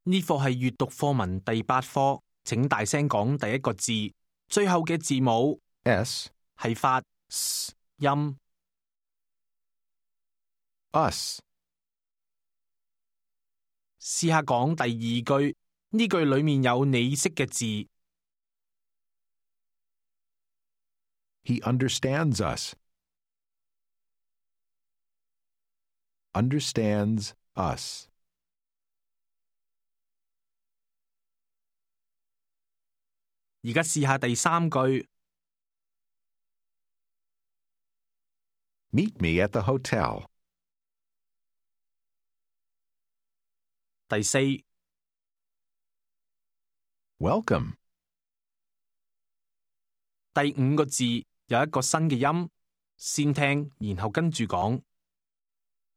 呢課係閱讀課文第8課，請大聲講第一個字，最後嘅字母 S, 係發 S 音。 us, 試下講第2句，呢句裡面有你識嘅字。he understands us. Understands us. 而家試下第3句， Meet me at the hotel. 第4、 Welcome. 第5個字有一個新嘅音，先聽然後跟住講。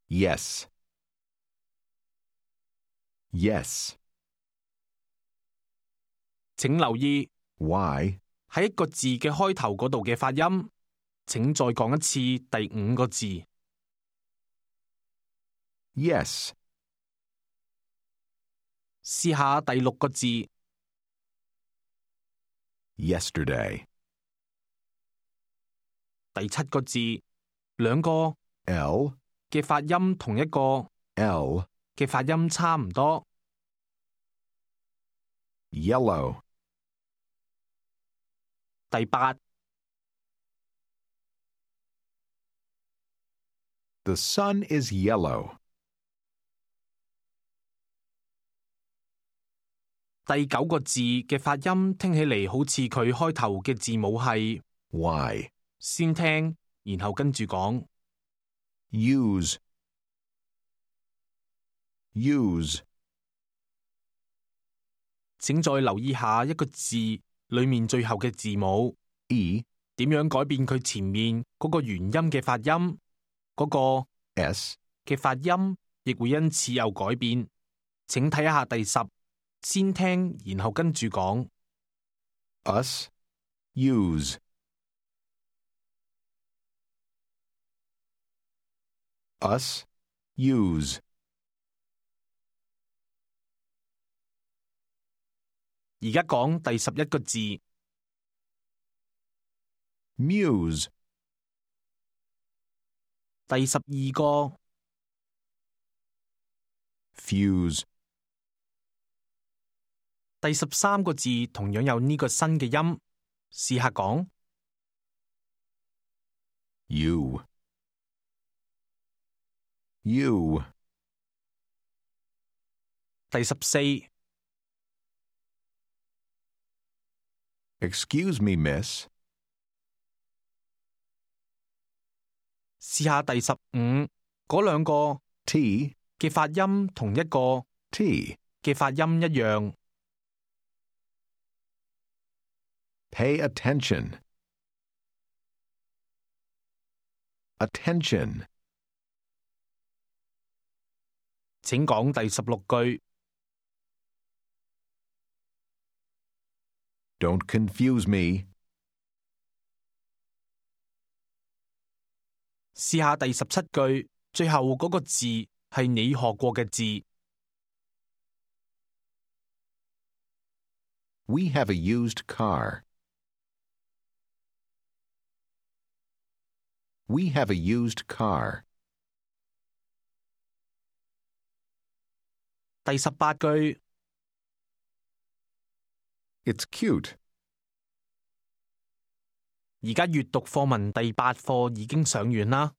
Yes. Yes. 請留意 Why? 喺一個字嘅開頭嗰度嘅發音。請再講一次第5個字。 Yes. 試下第6個字。 Yesterday. 第7個字，兩個 L, 嘅發音同一個 L, 嘅發音差唔多。 yellow. 第8、 The sun is yellow. 第9個字嘅發音聽起嚟好似佢開頭嘅字母係 Why? 先聽然後跟住講。 Use. Use. 請再留意下一個字裡面最後嘅字母 E, 點樣改變佢前面嗰個元音嘅發音，嗰個 S, 嘅發音亦會因此有改變。請睇下第10，先聽然後跟住講。 us, use. Us, use. 而家講第11個字。 Muse. 第12個。 Fuse. 第13個字同樣有呢個新嘅音，試下講。 You. You. 第14。 Excuse me, miss. 試下第15，嗰兩個 T, 嘅發音同一個 T. 嘅發音一樣。 Pay attention. Attention. 請講第16句。 Don't confuse me. 試下第17句，最後嗰個字係你學過嘅字。 We have a used car. We have a used car. 第18句。 It's cute. 而家閱讀課文第8課已經上完啦。